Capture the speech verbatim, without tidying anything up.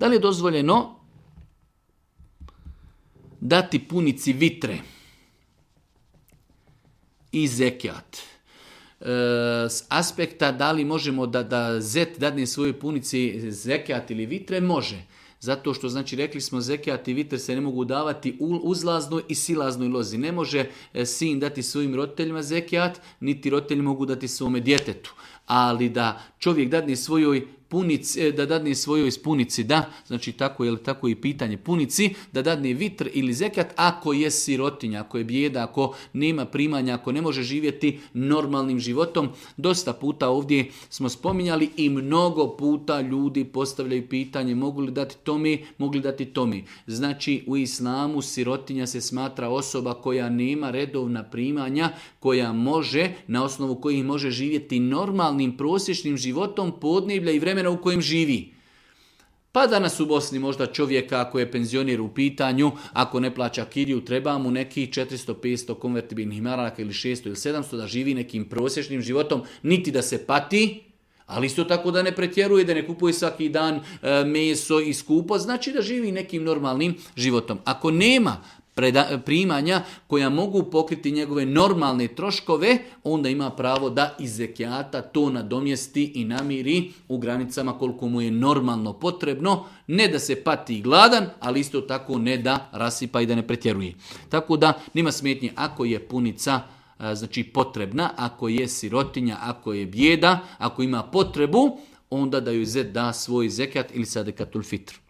Da li je dozvoljeno dati punici vitre i zekijat? E, s aspekta da li možemo da, da zet dadne svojoj punici zekijat ili vitre, može. Zato što, znači, rekli smo zekijat i vitre se ne mogu davati u uzlaznoj i silaznoj lozi. Ne može sin dati svojim roditeljima zekijat, niti roditelji mogu dati svome djetetu. Ali da čovjek dadne svojoj punici, da dadne svojoj punici, da, znači tako je tako i pitanje punici, da dadne vitr ili zekijat ako je sirotinja, ako je bijeda, ako nema primanja, ako ne može živjeti normalnim životom. Dosta puta ovdje smo spominjali i mnogo puta ljudi postavljaju pitanje mogu li dati tomi, mogu li dati tomi. Znači u islamu sirotinja se smatra osoba koja nema redovna primanja, koja može, na osnovu kojih može živjeti normalnim prosječnim životom podneblja i vremena u kojem živi. Pa danas u Bosni možda čovjeka ako je penzioner u pitanju, ako ne plaća kiriju, treba mu neki četiristo petsto konvertibilnih maraka ili šesto ili sedamsto da živi nekim prosječnim životom, niti da se pati, ali isto tako da ne pretjeruje, da ne kupuje svaki dan e, meso i skupo, znači da živi nekim normalnim životom. Ako nema Preda, primanja koja mogu pokriti njegove normalne troškove, onda ima pravo da iz zekijata to nadomjesti i namiri u granicama koliko mu je normalno potrebno, ne da se pati gladan, ali isto tako ne da rasipa i da ne pretjeruje. Tako da nema smetnje ako je punica znači potrebna, ako je sirotinja, ako je bijeda, ako ima potrebu, onda da joj zet da svoj zekijat ili sadekatul fitr.